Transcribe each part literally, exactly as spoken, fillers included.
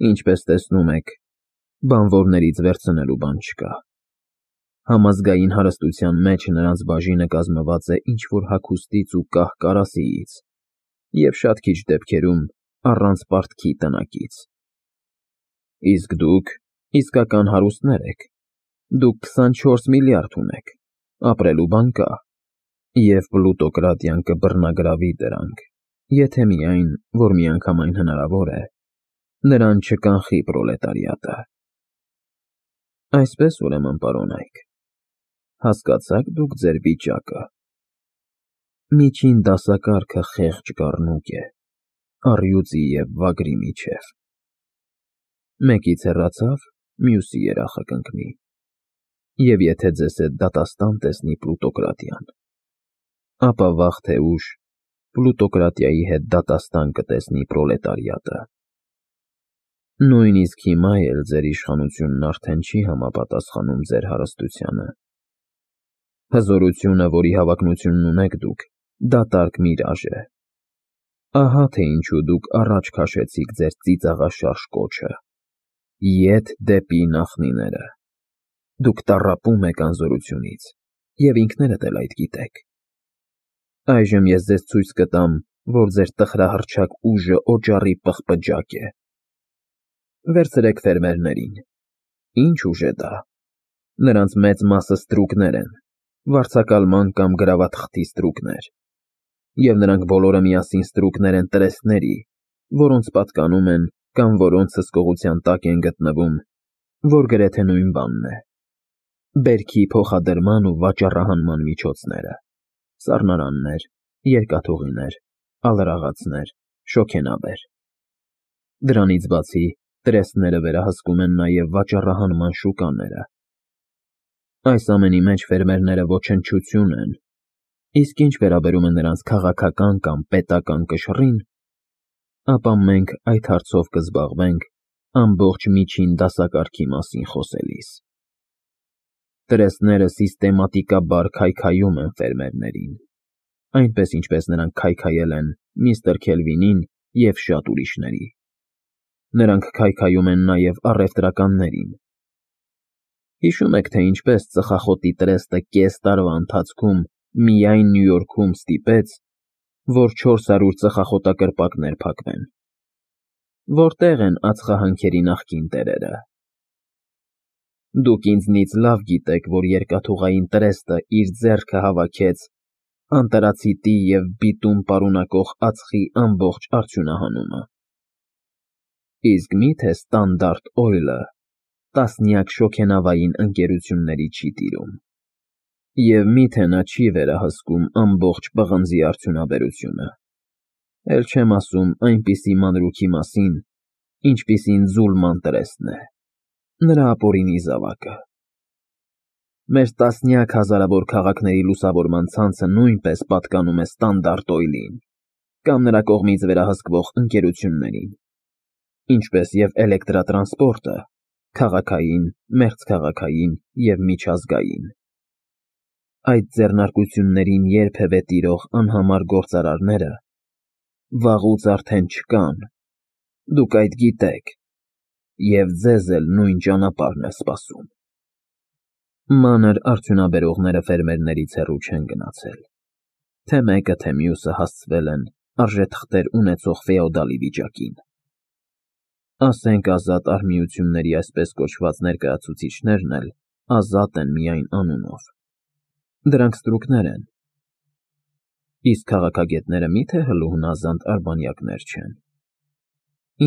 Ինչպես տեսնում եք, բանվորներից վերցնելու բան չկա։ Համազգային հարստության մեջ նրանց բաժինը կազմված է ինչ-որ հագուստից ու կահ կարասիից և շատ քիչ դեպքերում առանց պարտքի տնակից։ Իսկ դուք իսկական հարուստներ եք, դուք քսանչորս միլիարդ ունեք, ապրելու բան կա, և պլուտոկրատիան կբռնագրավի դրանք, եթե միայն, որ միանգամայն հնարավոր է, նրան չկանխի պրոլետարիատը։ Այսպես ուրեմն, պարոնայք, հասկացա՞ք դուք ձեր վիճակը։ Միջին դասակարգը խեղճ գառնուկ է, առյուծի և վագրի միջև։ Մեկից հեռացավ, մյուսի երախը կընկնի, և եթե ձեզ հետ դատաստան տեսնի պլուտոկրատիան, ապա վաղ թե ուշ պլուտոկրատիայի հետ դատաստան կտեսնի պրոլետարիատը։ Նույնիսկ հիմա էլ ձեր իշխանությունն արդեն չի համապատասխանում ձեր հարստությանը։ Հզորությունը, որի հավակնությունն ունեք դուք, դատարկ միրաժ է։ Ահա թե ինչու դուք առաջ քաշեցիք ձեր ծիծաղաշարժ կոչը. ետ դեպի նախնիները։ Դուք տառապում եք անզորությունից, և ինքներդ էլ այդ գիտեք։ Այժմ ես ձեզ ցույց կտամ, որ ձեր տխրահռչակ ուժը օճառի պղպջակ է։ Վերցրեք ֆերմերներին։ Ինչ ուժ է դա։ Նրանց մեծ մասը ստրուկներ են, վարձակալման կամ գրավաթղթի ստրուկներ, և նրանք բոլորը միասին ստրուկներ են տրեստների, որոնց պատկանում են կամ որոնց հսկողության տակ են գտնվում, որ գրեթե նույն բանն է։ Բերքի փոխադրման ու վաճառահանման միջոցները՝ սառնարաններ, երկաթուղիներ, ալրաղացներ, շոգենավեր։ Դրանից բացի, տրեստները վերահսկում են նաև վաճառահանման շուկաները։ Այս ամենի մեջ ֆերմերները ոչնչություն են, իսկ ինչ վերաբերում է նրանց քաղաքական կամ պետական կշռին, ապա մենք այդ հարցով կզբաղվենք ամբողջ միջին դասակարգի մասին խոսելիս։ Տրեստները սիստեմատիկաբար քայքայում են ֆերմերներին, այնպես ինչպես նրանք քայքայել են միստր Քելվինին և շատ ուրիշների։ Նրանք քայքայում են նաև առևտրականներին։ Հիշո՞ւմ եք, թե ինչպես ծխախոտի տրեստը կես տարվա ընթացքում միայն Նյու Յորքում ստիպեց, որ չորս հարյուր ծխախոտակրպակներ փակվեն։ Որտե՞ղ են ածխահանքերի նախկին տերերը։ Դուք ինձնից լավ գիտեք, որ երկաթուղային տրեստը իր ձեռքը հավաքեց անտարացիտի և բիտում պարունակող ածխի ամբողջ արդյունահանումը։ Իսկ մի՞թե Ստանդարտ Օյլը տասնյակ շոգենավային ընկերությունների չի տիրում, և մի՞թե նա չի վերահսկում ամբողջ պղնձի արդյունաբերությունը, էլ չեմ ասում այնպիսի մանրուքի մասին, ինչպիսին Ձուլման տրեստն է, նրա ապօրինի զավակը։ Մեր տասնյակ հազարավոր քաղաքների լուսավորման ցանցը նույնպես պատկանում է Ստանդարտ Օյլին կամ նրա կողմից վերահսկվող ընկերություններին, ինչպես և էլեկտրատրանսպորտը՝ քաղաքային, մերձքաղաքային և միջազգային։ Այդ ձեռնարկություններին երբևէ տիրող անհամար գործարարները վաղուց արդեն չկան, դուք այդ գիտեք, և ձեզ էլ նույն ճանապարհն է սպասում։ Մանր արդյունաբերողները ֆերմերներից հեռու չեն գնացել, թե մեկը, թե մյուսը հասցվել են արժեթղթեր ունեցող ֆեոդալի վիճակին։ Ասենք ազատ արհմիությունների այսպես կոչված ներկայացուցիչներն էլ ազատ են միայն անունով։ Դրանք ստրուկներ են։ Իսկ քաղաքագետները մի՞թե հլու հնազանդ արբանյակներ չեն։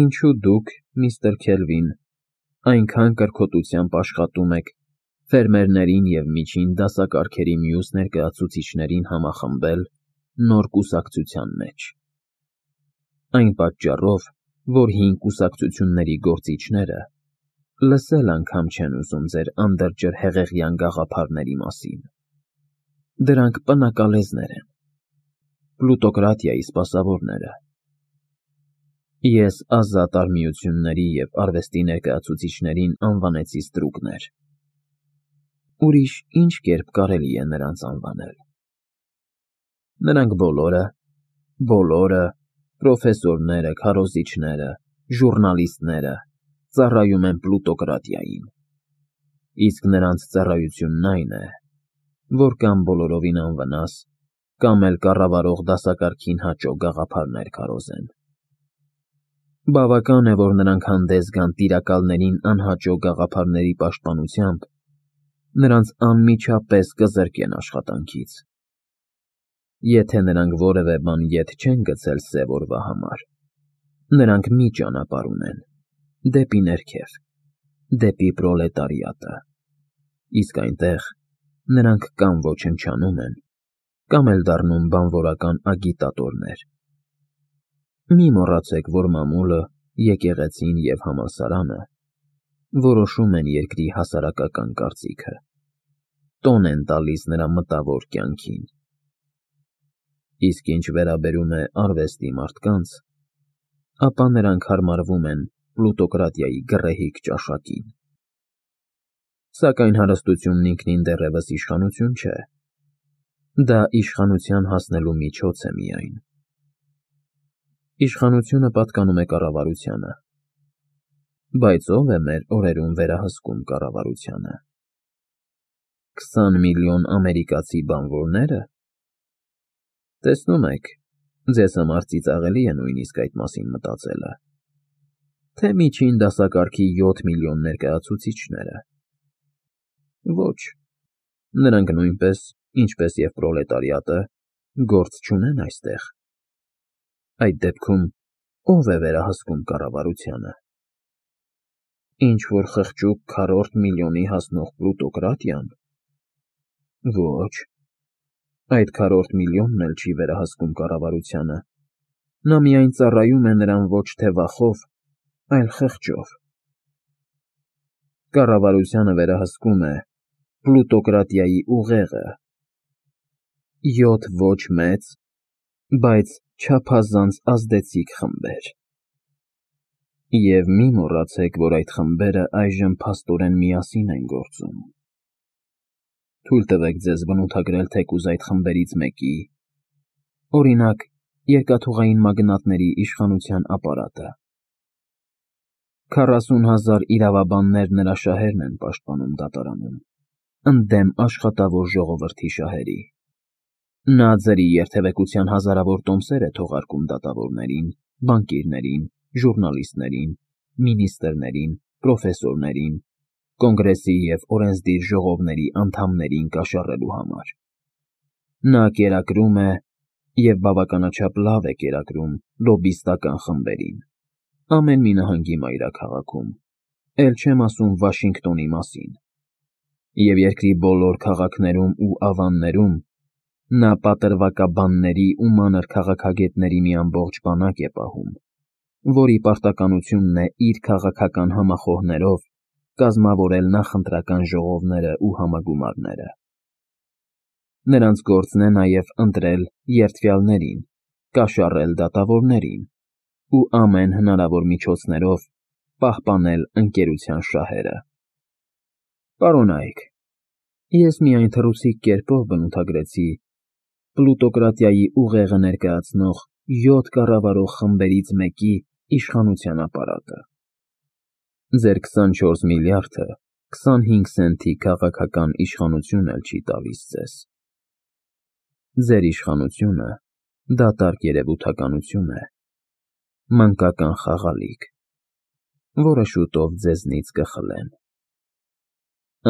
Ինչու դուք, միստր Քելվին, այնքան կրքոտությամբ աշխատում եք ֆերմերներին և միջին դասակարգերի մյուս ներկայացուցիչներին համախմբել նոր կուսակցության մեջ։ Այն պատճառով, որ հին կուսակցությունների գործիչները լսել անգամ չեն ուզում ձեր անդրջր֊հեղեղյան գաղափարների մասին։ Դրանք պնակալեզներ են, պլուտոկրատիայի սպասավորները։ Ես ազատ արհմիությունների և արվեստի ներկայացուցիչներին անվանեցի ստրուկներ։ Ուրիշ ի՞նչ կերպ կարելի է նրանց անվանել։ Նրանք բոլորը, բոլորը, պրոֆեսորները, քարոզիչները, ժուռնալիստները, ծառայում են պլուտոկրատիային, իսկ նրանց ծառայությունն այն է, որ կամ բոլորովին անվնաս, կամ էլ կառավարող դասակարգին հաճո գաղափարներ քարոզեն։ Բավական է, որ նրանք հանդես գան տիրակալներին անհաճո գաղափարների պաշտպանությամբ, նրանց անմիջապես կզրկեն աշխատանքից։ Եթե նրանք որևէ բան ետ չեն գցել սև օրվա համար, նրանք մի ճանապարհ ունեն՝ դեպի ներքև, դեպի պրոլետարիատը, իսկ այնտեղ նրանք կամ ոչնչանում են, կամ էլ դառնում բանվորական ագիտատորներ։ Մի մոռացեք, որ մամուլը, եկեղեցին և համալսարանը որոշում են երկրի հասարակական կարծիքը, տոն են տալիս նրա մտավոր կյանքին։ Իսկ ինչ վերաբերում է արվեստի մարդկանց, ապա նրանք հարմարվում են պլուտոկրատիայի գռեհիկ ճաշակին։ Սակայն հարստությունն ինքնին դեռևս իշխանություն չէ, դա իշխանության հասնելու միջոց է միայն։ Իշխանությունը պատկանում է կառավարությանը, բայց ո՞վ է մեր օրերում վերահսկում կառավարությանը։ Քսան միլիոն ամերիկացի բանվորնե՞րը։ Տեսնում եք, ձեզ համար ծիծաղելի է նույնիսկ այդ մասին մտածելը, թե միջին դասակարգի յոթ միլիոն ներկայացուցիչները։ Ոչ, նրանք նույնպես, ինչպես և պրոլետարիատը, գործ չունեն այստեղ։ Այդ դեպքում ո՞վ է վերահսկում կառավարությանը։ Ինչ-որ խղճուկ քառորդ միլիոնի հասնող պլուտոկրատիան։ Ոչ, այդ քառորդ միլիոնն էլ չի վերահսկում կառավարությանը, նա միայն ծառայում է նրան ոչ թե վախով, այլ խղճով։ Կառավարությանը վերահսկում է պլուտոկրատիայի ուղեղը, յոթ ոչ մեծ, բայց չափազանց ազդեցիկ խմբեր։ Եվ մի մոռացեք, որ այդ խմբերը այժմ փաստորեն միասին են գործում։ Թույլ տվեք ձեզ բնութագրել թեկուզ այդ խմբերից մեկի, օրինակ, երկաթուղային մագնատների իշխանության ապարատը։ Քառասուն հազար իրավաբաններ նրա շահերն են պաշտպանում դատարանում, ընդդեմ աշխատավոր ժողովրդի շահերի։ Նա ձրի երթևեկության հազարավոր տոմսեր է թողարկում դատավորներին, բանկիրներին, ժուռնալիստներին, մինիստրներին, պրոֆեսորներին, կոնգրեսի և օրենսդիր ժողովների անդամներին կաշառելու համար։ Նա կերակրում է և բավականաչափ լավ է կերակրում լոբբիստական խմբերին, ամեն մի նահանգի մայրաքաղաքում, էլ չեմ ասում Վաշինգտոնի մասին, և երկրի բոլոր քաղաքներում ու ավաններում նա պատրվակաբանների ու մանր քաղաքագետների մի ամբողջ բանակ է պահում, որի պարտականությունն է իր քաղաքական համախոհներով կազմավորել նախընտրական ժողովները ու համագումարները։ Նրանց գործն է նաև ընտրել երդվյալներին, կաշառել դատավորներին ու ամեն հնարավոր միջոցներով պահպանել ընկերության շահերը։ Պարոնա՛յք, ես միայն թռուցիկ կերպով բնութագրեցի պլուտոկրատիայի ուղեղը ներկայացնող յոթ կառավարող խմբերից մեկի իշխանության ապարատը։ Ձեր քսանչորս միլիարդը քսանհինգ սենթի քաղաքական իշխանություն էլ չի տալիս ձեզ։ Ձեր իշխանությունը դատարկ երևութականություն է, մանկական խաղալիք, որը շուտով ձեզնից կխլեն։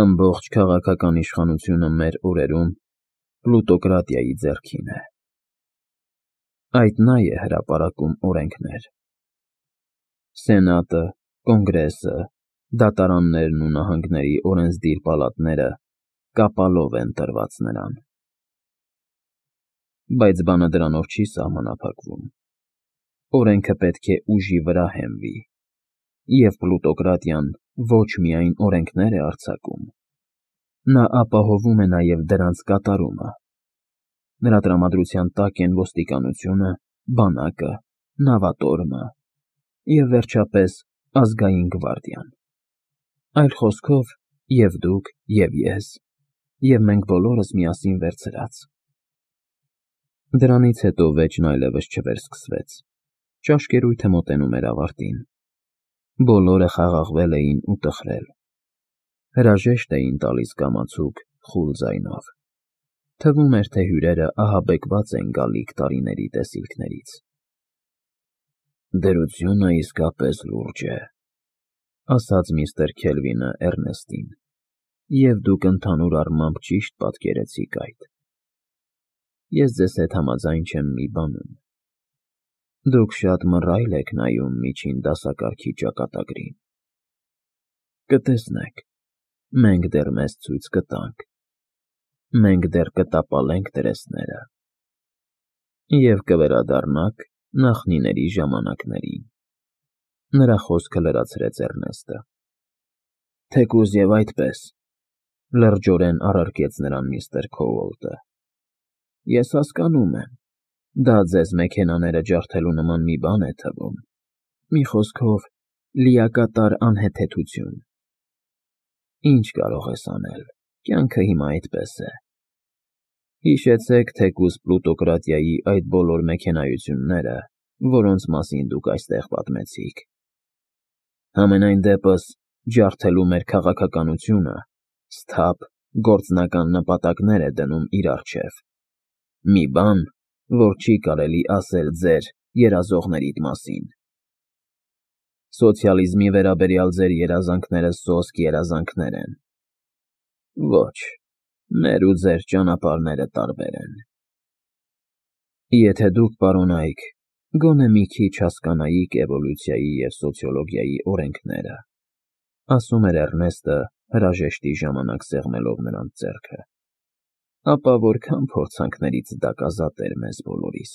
Ամբողջ քաղաքական իշխանությունը մեր օրերում պլուտոկրատիայի ձեռքին է։ Այդ նա է հրապարակում օրենքներ։ Սենատը, կոնգրեսը, դատարաններն ու նահանգների օրենսդիր պալատները կապալով են տրված նրան։ Բայց բանը դրանով չի սահմանափակվում։ Օրենքը պետք է ուժի վրա հենվի, և պլուտոկրատիան ոչ միայն օրենքներ է արձակում, նա ապահովում է նաև դրանց կատարումը։ Նրա տրամադրության տակ են ոստիկանությունը, բանակը, նավատորմը և, վերջապես, ազգային գվարդիան։ Այլ խոսքով, և դուք, և ես, և մենք բոլորս միասին վերցրած։ Դրանից հետո վեճն այլևս չվերսկսվեց, ճաշկերույթը մոտենում էր ավարտին։ Բոլորը խաղաղվել էին ու տխրել, հրաժեշտ էին տալիս կամացուկ, խուլ ձայնով, թվում էր, թե հյուրերը ահաբեկված են գալիք տարիների տեսիլքներից։ «Դրությունը իսկապես լուրջ է», ասաց միստր Քելվինը Էռնեստին, և դուք ընդհանուր առմամբ ճիշտ պատկերեցիք այդ։ Ես ձեզ հետ համաձայն չեմ մի բանում. դուք շատ մռայլ եք նայում միջին դասակարգի ճակատագրին։ Կտեսնեք, մենք դեռ մեզ ցույց կտանք, մենք դեռ կտապալենք տրեսները, և կվերադառնաք նախնիների ժամանակներին։ Նրա խոսքը լրացրեց Էռնեստը։ Թեկուզ և այդպես, լրջորեն առարկեց նրան միստր Քոուլտը, ես հասկանում եմ, դա ձեզ մեքենաները ջարդելու նման մի բան է թվում, մի խոսքով, լիակատար անհեթեթություն։ Ինչ կարող ես անել, կյանքը հիմա այդպես է։ Հիշեցեք թեկուզ պլուտոկրատիայի այդ բոլոր մեքենայությունները, որոնց մասին դուք այստեղ պատմեցիք։ Համենայն դեպս, ջարդելու մեր քաղաքականությունը սթափ, գործնական նպատակներ է դնում իր առջև, մի բան, որ չի կարելի ասել ձեր երազողներիդ մասին։ Սոցիալիզմի վերաբերյալ ձեր երազանքները սոսկ երազանքներ են։ Ոչ, մեր ու ձեր ճանապարհները տարբեր են։ Եթե դուք, պարոնայք, գոնե մի քիչ հասկանայիք էվոլյուցիայի և սոցիոլոգիայի օրենքները, ասում էր Էռնեստը հրաժեշտի ժամանակ սեղմելով նրանց ձեռքը, ապա որքան փորձանքներից դա կազատեր մեզ բոլորիս։